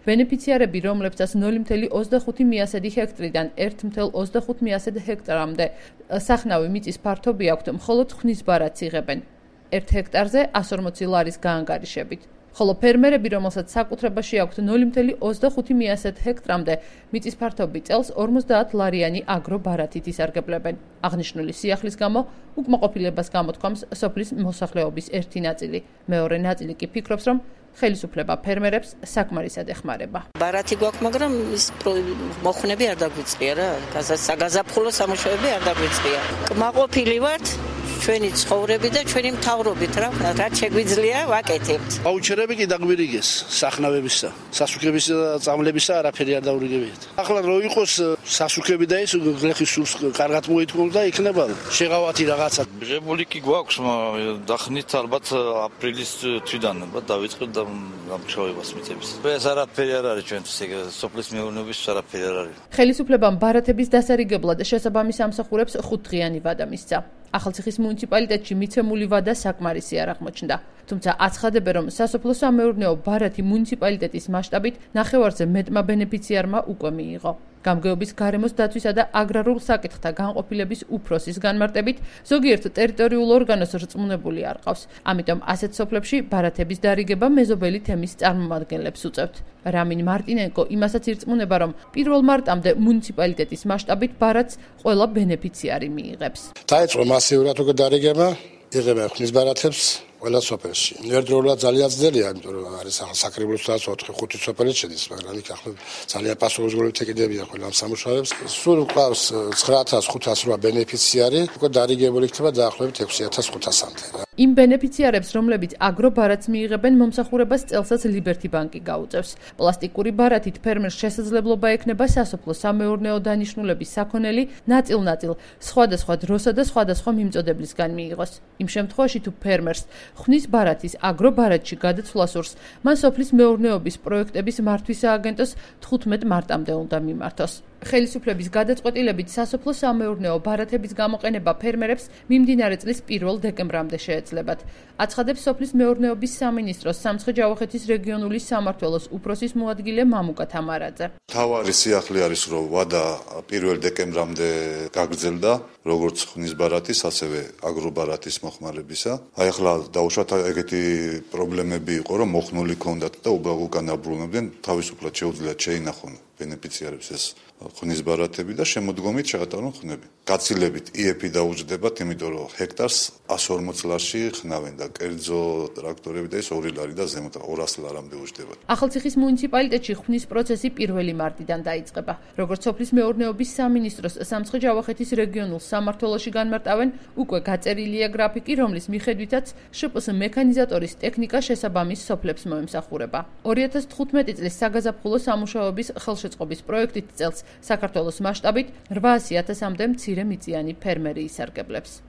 ბენეფიციარები, რომლებსაც 0,25 მიასედი ჰექტრიდან 1,25 მიასედ ჰექტარამდე სახნავი მიწის ფართობი აქვთ, მხოლოდ ხვნის ბარათს იღებენ 1 ჰექტარზე 140 ლარის გაანგარიშებით. ხოლო ფერმერები, რომელსაც საკუთრებაში აქვთ 0,25 მიასედ ჰექტრამდე მიწის ფართობი წელს 50 ლარიანი აგრობარათით ისარგებლებენ. აღნიშნული სიახლის გამო უკმაყოფილებას გამოთქვამს სოფლის მოსახლეობის ერთი ნაწილი. მეორე ნაწილი კი ფიქრობს, რომ ხელისუფლება ფერმერებს საკმარისად ეხმარება. ბარათი გვაქვს, მაგრამ ის მოხვნები არ დაგვიწყია რა. საგაზაფხულო სამუშაოები არ დაგვიწყია. კმაყოფილი ვართ ჩვენი ცხოვრები და ჩვენი მთავრობით რა რაც შეგვიძლია ვაკეთებთ. აუჩერები კი დაგვირიგეს სახნავებისა, სასუქებისა და წამლებისა არაფერი არ დაურიგებიათ. ახლა რო იყოს სასუქები და ის გლეხის სულს კარგად მოითხოვს და იქნება შეღავათი რაღაცა. მიღებული კი გვაქვს, დახნით ალბათ აპრილის თვიდან დავიწყეთ და გამშოვებას მიწების. ეს არაფერი არ არის ჩვენთვის, სოფლის მეურნეობის არაფერი არ არის. ხელისუფლებამ ბარათების დასარიგებლად შესაბამის ამსახურებს 5 დღიანი ვადა მისცა. ახალციხის მუნიციპალიტეტში მიცემული ვადა საკმარისი არ აღმოჩნდა. თუმცა აცხადებენ, რომ სასოფლო-სამეურნეო ბარათი მუნიციპალიტეტის მასშტაბით ნახევარზე მეტმა ბენეფიციარმა უკვე მიიღო. გამგეობის გარემოს დაცვისა და აგრარულ საკითხთა განყოფილების უფროსის განმარტებით, ზოგიერთ ტერიტორიულ ორგანოს რწმუნებული არ ყავს. ამიტომ ასეთ სოფლებში ბარათების დარიგება მეზობელი თემის წარმომადგენლებს უწევთ. რამინ მარტინენკო იმასაც ირწმუნება, რომ 1 მარტამდე მუნიციპალიტეტის მასშტაბით ბარათს ყველა ბენეფიციარი მიიღებს. დაიწყო მასიურად უკვე დარიგება, იღებენ ხვნის ბარათებს ყველა სოფელში. ერთდროულად ძალიან ძნელია, იმიტომ რომ არის საკრებულოსაც 4-5 სოფელი შედის, მაგრამ იქ ახლა ძალიან პასუხისმგებლობით ეკიდებიან ყველა ამ სამუშაოებს. სულ ყავს 9508 ბენეფიციარი, უკვე დარიგებული იქნება დაახლოებით 6500-მდე. იმ ბენეფიციარებს, რომლებიც აგრობარათს მიიღებენ, მომსახურებას წელსაც ლიბერთი ბანკი გაუწევს. პლასტიკური ბარათით ფერმერს შესაძლებლობა ექნება სასოფლო-სამეურნეო დანიშნულების საქონელი ნაწილ-ნაწილ სხვადასხვა დროსა და სხვადასხვა მიმწოდებლისგან მიიღოს. იმ შემთხვევაში თუ ფერმერს ხვნის ბარათის აგრობარათში გადაცვლა სურს, მან სოფლის მეურნეობის პროექტების მართვის სააგენტოს 15 მარტამდე უნდა მიმართოს. ხელისუფლების გადაწყვეტილებით სასოფლო-სამეურნეო ბარათების გამოყენება ფერმერებს მიმდინარე წლის 1 დეკემბრამდე შეეძლებათ. აცხადებს სოფლის მეურნეობის სამინისტროს სამცხე-ჯავახეთის რეგიონული სამმართველოს უფროსის მოადგილე მამუკა თამარაძე. თავარი სიახლე არის, რომ ვადა 1 დეკემბრამდე გაგრძელდა, როგორც ხვნის ბარათის, ასევე აგრობარათის მოხმარებისა. აი ახლა დაუშვათ ეგეთი პრობლემები იყო, რომ მოხმული ჰქონდათ და უკან დაბრუნებდნენ, თავისუფლად შეუძლიათ შეინახონ ბენეფიციარებს ეს ხვნის ბარათები და შემოდგომით შეატარონ ხნები. გაცილებით იეფი დაუჯდებათ, იმიტომ რომ ჰექტარს 140 ლარში ხნავენ და კერძო ტრაქტორები და ეს 2 ლარი და ზემოთ 200 ლარამდე უჯდებათ. ახალციხის მუნიციპალიტეტში ხვნის პროცესი 1 მარტიდან დაიწყება. როგორც სოფლის მეურნეობის სამინისტროს სამცხე-ჯავახეთის რეგიონულ სამმართველოში განმარტავენ, უკვე გაწერილია გრაფიკი, რომლის მიხედვითაც შპს მექანიზატორის ტექნიკა შესაბამის სოფლებს მოემსახურება. 2015 წლის საგაზაფხულო სამუშაოების ხელშეწყობის პროექტით წელს საქართველოს მასშტაბით 800.000-მდე მცირე მიწიანი ფერმერი ისარგებლებს.